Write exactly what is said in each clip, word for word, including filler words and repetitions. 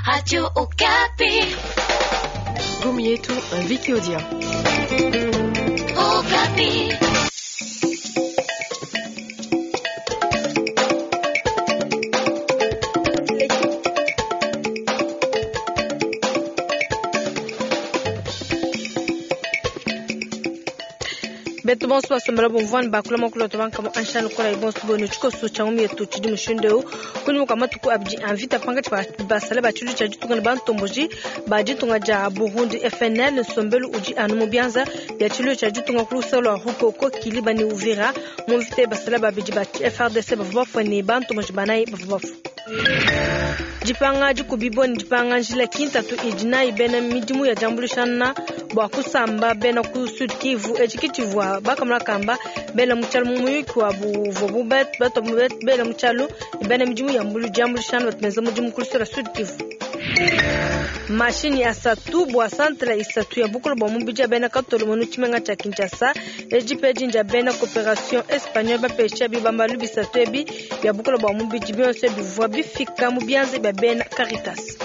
Radio Okapi. Gumi yetu Vicky Odia. Okapi. Beto bonso basombela bomvwani bakula makulu tobanka anshana kola ibonso bono tshikoso tsha ngumi yetu tshidi mushindu eu kunyuma kwa matuku abidi anvita pangatshi basale ba tshilu tsha ditunga ne bantomboji ba ditunga dia Burundi F N L nsombelu udi anu mu bianza bia tshilu tsha ditunga ku luseke lua Rukoko Kiliba ne Uvira mu mvita basale babidi ba F R D C bavua bafue ne bantomboji banayi bavua bafue. Dipanga dikubibwa ne dipanga njila kintatu idi nayi bena midimu ya diambuluishana bua kusamba bena ku Sud Kivu etshi kitshivua bakamona kamba bena mu tshialu mu muyuki wabu uvuabu batua bena mu tshialu ne bena midimu ya diambuluishana batu benza mudimu ku luseke lua Sud Kivu. Mashini asatu bua santra isatu ya bukolo bua mubidi ya bena katolo mu tshimenga tsha Kinshasa edi pe dinja bena coopération espagnole bapesha bibambalu bisatu ebi bia bukolo bua mubidi bionso bivua bifika mu bianza bia bena Caritas.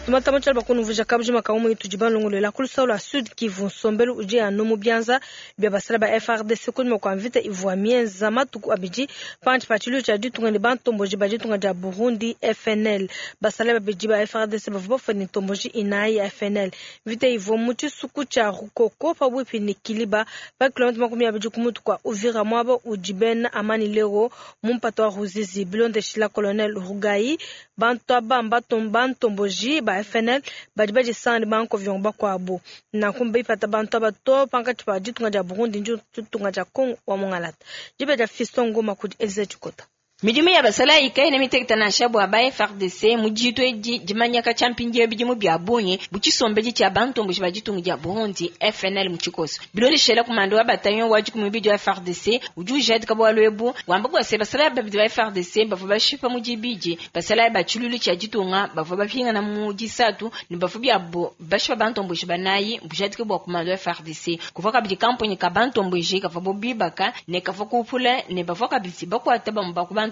Tumata mu tshialu bakunuvija kabujima ka umwe tudi balongolola ku luseke lua Sud Kivu nsombelu udi anu mu bianza bia basala ba F R D C kunyima kua mvita ivua mienza matuku abidi panshi pa tshilu tshia ditunga ne bantomboji ba ditunga dia Burundi F N L. Basala babidi ba F R D C bavua bafue ne ntomboji inayi ya F N L. Mvita ivua mu tshisuku tshia Rukoko pabuipi ne Kiliba pa kilomita makumi abidi ku mutu kua Uvira muaba udi bena Amani Lero mu mpata wa Ruzizi. Bilondeshila Colonel Rugayi bantu aba bantomboji ba F N L badi badisanga ne bankovion bakuabu nanku bipata bantu aba to pankatshi pa ditunga dia Burundi ndi ditunga dia Congo wa Mongalata. Dibe dia Fiston Ngoma kudi Elise Tshikota. Midimu ya basala ikaina miteketa nansha bua ba F R D C mu ditu edi dimanyaka tsha mpindieu bidimu bia bungi bu tshisombedi tsha bantomboji ba ditunga dia Burundi F N L mu tshikoso. Bilondeshela kumando wa bataillon wa dikumi bidi wa F R D C udi ujadika bualu ebu wamba bua se basala babidi ba F R D C bavua bashipa mu dibidi basala ba tshilulu tsha ditunga bavua bapingana mu disatu ne bavua biabo bashipa bantomboji banayi bujadika bua kumando wa F R D C. Kuvua kabidi kamponyi ka bantomboji kavua bo bibaka ne kavua kupula ne bavua kabidi bakuata bamue ba ku bantomboji.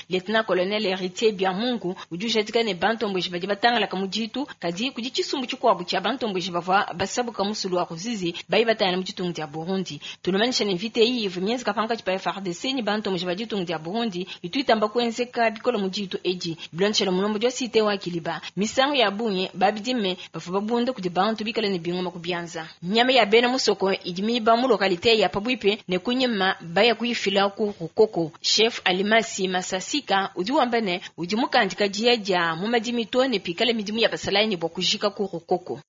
Lieutenant Colonel Héritier Biamungu udi ujadika ne bantomboji badi batangalaka mu ditu kadi kudi tshisumbu tshikuabu tshia bantomboji bavua basabuka musulu wa Ruzizi bayi batangana mu ditunga dia Burundi. Tulumanyisha ne mvita iyi ivua mienzeka pankatshi pa F R D C ne bantomboji ba ditunga dia Burundi itu itamba kuenzeka bikole mu ditu edi. Bilondeshela mulombodi wa cité wa Kiliba misangu ya bungi babidime bavua babunda kudi bantu bikale ne bingoma ku bianza. Nyama ya bena musoko idi miba mu localité ya Pabuipe ne kunyima baya kuyifila ku Rukoko. Chef Alimasi Masasika udi wamba ne udi mukandika dia dia mu madimi to ne pikale midimu ya basalayi ne bua kujika ku Rukoko.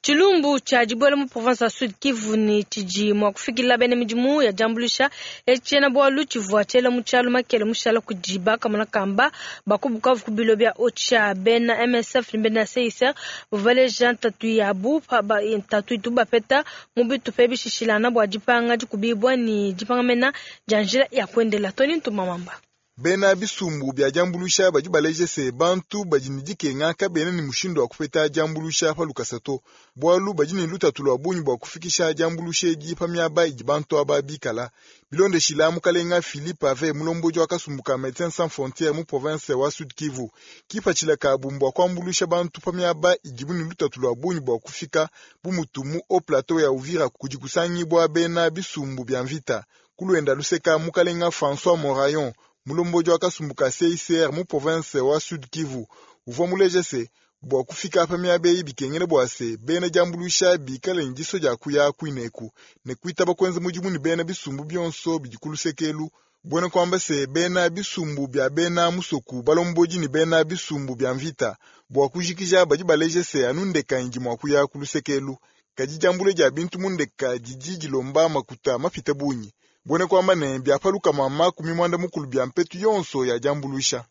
Tshilumbu tsha dibuela mu province ya Sud Kivu ne tshidi mua kufikila bena midimu ya diambuluisha tshiena bualu tshivua tshiela mu tshialu makele mushala kudi bakamona kamba bakubukavu ku bilo bia Ocha bena M S F ne bena C I C R bavaleja ntatu yabu ntatu itu bapeta mu bitupa bishishilana bua dipanga dikubibwa ne dipanga mena dia njila ya kuendela. Tony Ntumamamba. Bena bisumbu bia diambuluisha badi baleje se bantu badi ne dikenga kabena ne mushindu wa kupeta diambuluisha pa lukasa to bualu badi ne lutatu lua bungi bua kufikisha diambuluisha edi pa miaba idi bantu aba bikala. Bilondeshila mukalenga Philippe Ave mulombodi wa kasumbu ka Médecins Sans Frontières mu province wa Sud Kivu kipatshila kabu mbua kuambuluisha bantu pa miaba idibu ne lutatu lua bungi bua kufika bu mutu mu haut plateau ya Uvira kudi kusangibua bena bisumbu bia mvita. Kuluenda luseka mukalenga François Morayon mulombodi wa kasumbu ka C I C R mu province wa Sud Kivu uvua muleje se bua kufika pa miaba eyi bikengela bua se bena diambuluisha bikale ne diso dia kuya kuineku ne kuitaba kuenza mudimu ne bena bisumbu bionso bidi ku lusekelu buena kuamba se bena bisumbu bia bena musoku balombodi ne bena bisumbu bia mvita bua kujikija badi baleje se anu ndeka idi mua kuya ku lusekelu kadi diambula dia bintu mu ndeka didi dilomba makuta mapite bungi buena kuamba ne bia paluka mama kumi mwanda mukulu bia mpetu yonso ya diambuluisha.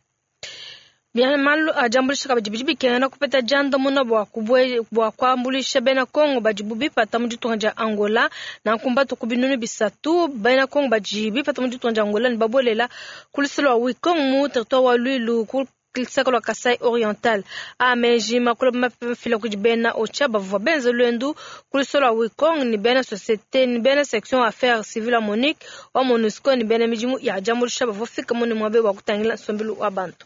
Bia malu a diambuluisha kabidi bidi bikengela kupeta diandamuna bua kubue bua kuambuluisha bena Kongo badi bipata mu ditunga dia Angola nanku mbatu ku binunu bisatu bena Kongo badi bipata mu ditunga dia Angola ne babolela ku luseke lua Wikong mu territoire wa Luilu ku luseke lua Kasai Oriental. A meji makulu mafila kudi bena OCHA bavua benze luendu ku luseke lua Wikong ne bena société ne bena section affaires civiles ya MONUC wa MONUSCO ne bena midimu ya diambuluisha bavua fika mune muabe wa kutangila nsombelu wa bantu.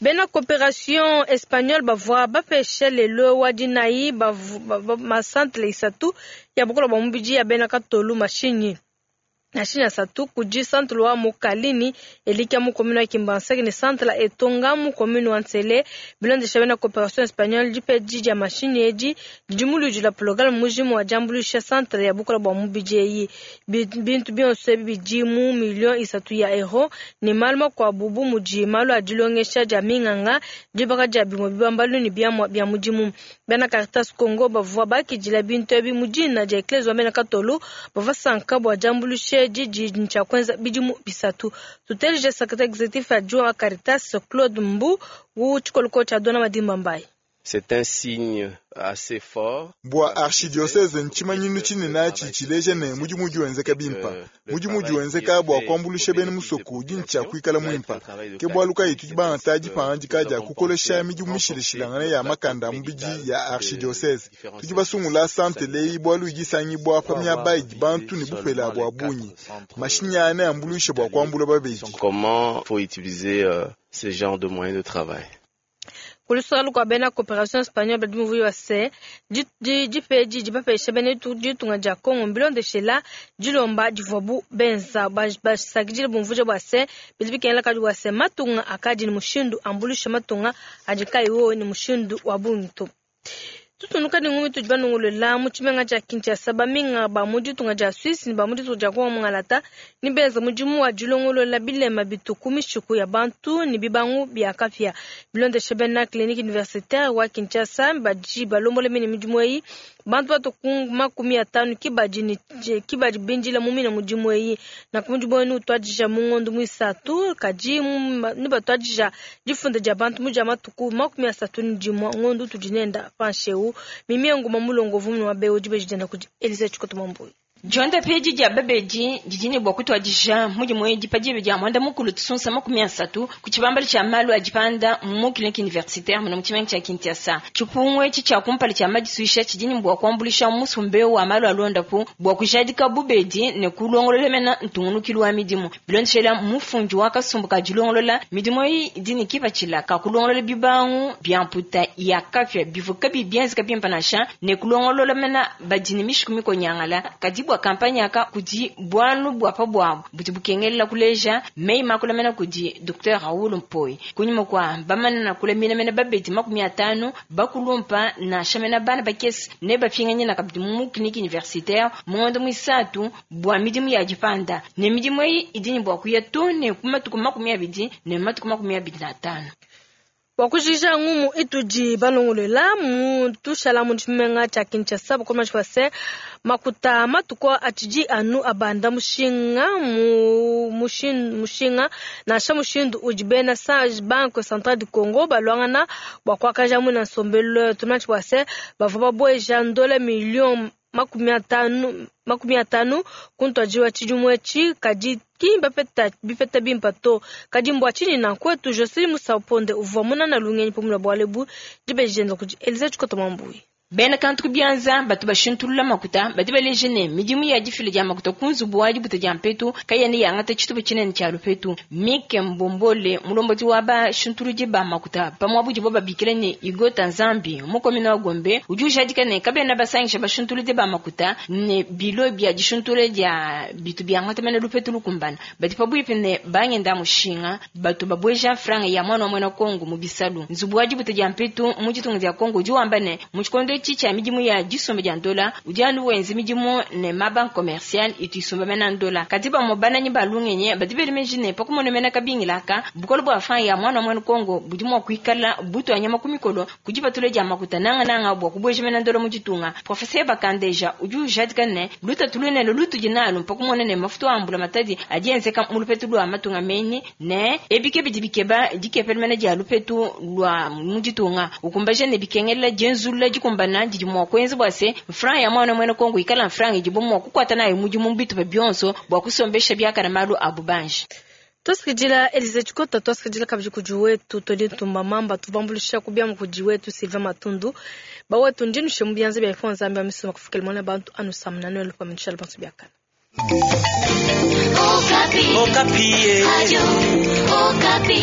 Bena coopération espagnole bavua bapesha lelo wa dinayi masantre isatu ya bukola bwa mubidi ya bena katolu mashinyi mashinyi asatu kudi centre wa Mokalini elikia mu commune wa Kimbanseke ne centre la Etonga mu commune wa Nsele. Bilondesha bena coopération espagnole dipedi dia mashinyi edi didi muludi la programme mujimu wa diambuluisha centre ya bukola bwa mubidi eyi. Bintu bionso ebi bidi mu million isatu ya euro ne malu makuabu bu mudi malu a dilongesha dia minganga dibaka dia bimue bibambalu ne biamua bia mudimu. Bena Caritas Congo bavua bakidila bintu ebi mu dina dia Eklezia wa bena Katolu bavua sanka bua diambuluisha didi ncha kwenza bidimu bisatu. Tutelije secrétaire exécutif adjoint wa Caritas Claude Mbu wu tshikoloko tshia Dona Madimba Mbaye. C'est un signe assez fort. Bua archidiocese nchimanyinu tshinene tshileja ne mudimu udi wenzeka bimpa. Mudimu udi wenzeka bua kuambuluisha bena musoko udi ntshia kuikala muimpa. Ke bualu kayi tudi bangata dipangadika dia kukolesha midimu mishilashilangane ya makanda mubidi ya archidiocese. Tudi basungula santre leyi bualu idi isangibua pa miaba idi bantu ne bupela bua bungi. Mashinyi aa neambuluishe bua kuambula babedi. Comment faut utiliser euh, ce genre de moyens de travail? Kulusaka lukua bena coopération espagnole badi muvuyi wa se dipedi dibapesha bena ditunga dia Congo mbilondeshela dilomba divuabu benza basakidile bumvuja bua se bidi bikengela kadi bua se matunga akadi ne mushindu ambuluisha matunga adi kayiwo ne mushindu wa bungi to. Tutunuka ne ngumi tudi banongolola mu tshimenga tshia Kinshasa baminga ba mu ditunga dia Suisse ne ba mu ditunga dia Congo mungalata ne benza mudimu wa dilongolola bilema bituku mishiku ya bantu ne bibangu bia kapia. Bilondesha bena clinique universitaire wa Kinshasa badi balombola mine midimu eyi bantu batu makumi atanu kibadi ne kibadi bindila mu mine mudimu eyi na ku mudimu enu utwadija mu ngondo muisatu kadi ne batwadija difunda dia bantu mu dia matuku makumi asatu ne dimue ngondo tudi nenda pansheu. Mimi nguma mulongo vumu wa beo dibejidenda kudi Elise Chikoto Mambuyi. Jonda peji dia babeji jijini bwa kutwadisha mudimu eyi dipa dia mwanda mukulu tusunsa makumi asatu ku tshibambalo tshia malu a dipanda mu clinique universitaire muno mu tshimenga tshia Kinshasa. Tshipungu etshi tshia kumpala tshia madisuisha tshidini bwa kuambulisha musumbe wa malu a londapu bwa kujadika bubedi ne kulongolola mena ntungunukilu wa midimu. Bilondeshela mufundi wa kasumbu ka dilongolola midimu eyi idini kipatshila ka kulongolola bibangu bia mputa ya kafya bivuka bibianzika bimpa nansha ne kulongolola mena badini mishiku mikonyangala kadi bwa kampanya aka kudi bwalu bwa pa bwabu budi bukengelela kuleja mei makulamena kudi Docteur Raoul Mpoi kunyuma kwa bamana kulamina mena babedi makumi atanu bakulumpa na shamena bana bakesi ne bapinganye na kabidi mu clinique universitaire mu ngondo mwisatu bwa midimu ya dipanda ne midimu eyi idini bwa kuya to ne kumatuku makumi abidi ne matuku makumi abidi na atanu. Wakujija ngumu itudi balongolela mu tushala mu tshimenga tshia Kinshasa bukoma tshwase makuta matuko atidi anu abanda mushinga mu mushin mushinga nansha mushindu udi bena sa Banque Centrale du Congo balwangana bwa kwakaja mu na nsombelo tuma tshwase bavua babweja ndola million makumi atanu makumi atanu kuntwajiwa tshidimue tshi kadi kimba peta bipeta bimpa to kadi mbwa chini na kwetu Jocelyn Musaponde uvua munana lungenyi pamula bwalebu dibejenda kudi Elisa Chikoto Mambuyi. Bena kantu kubianza batu bashintulula makuta badi baleje ne midimu ya difila dia makuta ku nzubu wa dibuta dia mpetu kayene yangata tshitupa tshinene tshia lupetu. Mike Mbombole mulombodi wa bashintuludi ba makuta pamwe budibo babikila ne Igota Nzambi mukomina wa Gombe udi ujadika ne kabena basangisha bashintuludi ba makuta ne bilo bia dishintule dia bitu biangata mena lupetu lukumbana badi pabuipi ne bangenda mushinga batu babweja franga ya mwana wa mwena Kongo mu bisalu. Nzubu wa dibuta dia mpetu mu ditunga dia Kongo udi wamba ne mu tshikondo tshia midimu ya disomba dia ndola udi anu wenza midimu ne mabanque commercial itu isomba mena ndola kadi bamwe bananyi balungenye badi belemeji ne pakumona mena kabingilaka bukolo bwa franga ya mwana wa mwena Kongo budi mua kuikala butu anyama ku mikolo kudi batule dia makuta nanga nanga bwa kubweja mena ndola mu ditunga. Professeur Bakandeja udi ujadika ne lutatu lunene lutudi nalu pakumona ne mafuta ambula matadi adi enzeka mu lupetu lwa matunga menyi ne ebike bidi bikeba dikepela mena dia lupetu lwa mu ditunga ukumbaje ne bikengela dienzulula dikumbana didi mua kuenza bua se franga ya mwana mwena Kongo ikala franga idibo mua kukwata nayo mudimu bitupa bionso bua kusombesha biakana malu abu banji. Tuasikidila Elize Chikota, tuasikidila kabidi kudi wetu todi ntumba mamba tubambulisha kubia kudi wetu Sylvain Matundu bawetu ndinushe mu bianza bya ifo nzambi ya misoma kufikela mwana bantu anu samna noel pa mishal bantu biakana. Okapi. Okapi. Adio, Okapi.